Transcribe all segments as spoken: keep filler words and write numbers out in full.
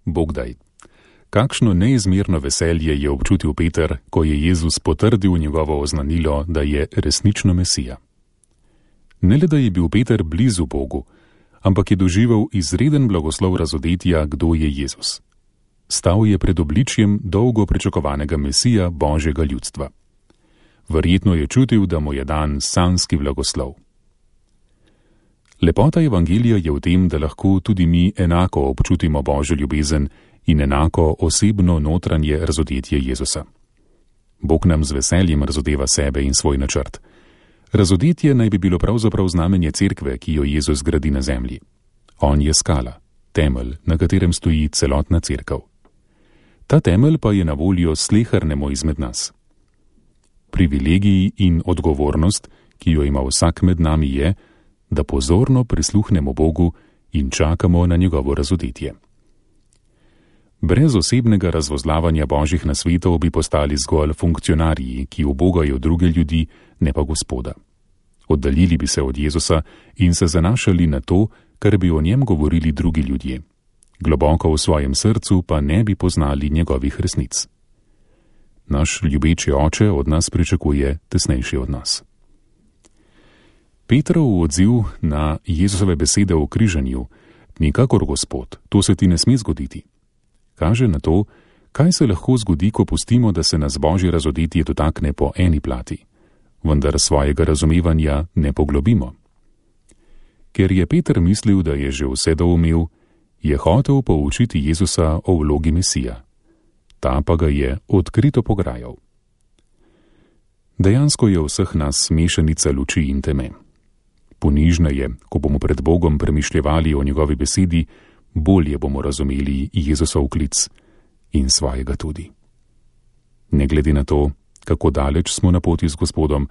Bogdaj. Kakšno neizmerno veselje je občutil Peter, ko je Jezus potrdil njegovo oznanilo, da je resnično Mesija. Ne le, da je bil Peter blizu Bogu, ampak je doživel izreden blagoslov razodetja, kdo je Jezus. Stal je pred obličjem dolgo pričakovanega Mesija Božjega ljudstva. Verjetno je čutil, da mu je dan sanjski blagoslov. Lepota evangelija je v tem, da lahko tudi mi enako občutimo Božjo ljubezen in enako osebno notranje razodetje Jezusa. Bog nam z veseljem razodeva sebe in svoj načrt. Razodetje naj bi bilo pravzaprav znamenje cerkve, ki jo Jezus gradi na zemlji. On je skala, temelj, na katerem stoji celotna cerkev. Ta temelj pa je na voljo slehernemu izmed nas. Privilegij in odgovornost, ki jo ima vsak med nami, je, da pozorno prisluhnemo Bogu in čakamo na njegovo razodetje. Brez osebnega razvozlavanja Božjih nasvetov bi postali zgolj funkcionarji, ki ubogajo druge ljudi, ne pa Gospoda. Oddaljili bi se od Jezusa in se zanašali na to, kar bi o njem govorili drugi ljudje. Globoko v svojem srcu pa ne bi poznali njegovih resnic. Naš ljubeči oče od nas pričakuje tesnejši odnos. Petrov odziv na Jezusove besede o križanju: nikakor, Gospod, to se ti ne sme zgoditi, kaže na to, kaj se lahko zgodi, ko pustimo, da se nas Božje razodetje dotakne po eni plati, vendar svojega razumevanja ne poglobimo. Ker je Peter mislil, da je že vse doumel, je hotel poučiti Jezusa o vlogi Mesija. Ta pa ga je odkrito pograjal. Dejansko je vseh nas mešanica luči in teme. Ponižneje, ko bomo pred Bogom premišljevali o njegovi besedi, bolje bomo razumeli Jezusov klic in svojega tudi. Ne glede na to, kako daleč smo na poti z Gospodom,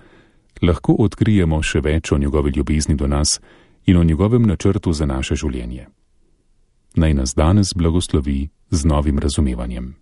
lahko odkrijemo še več o njegovi ljubezni do nas in o njegovem načrtu za naše življenje. Naj nas danes blagoslovi z novim razumevanjem.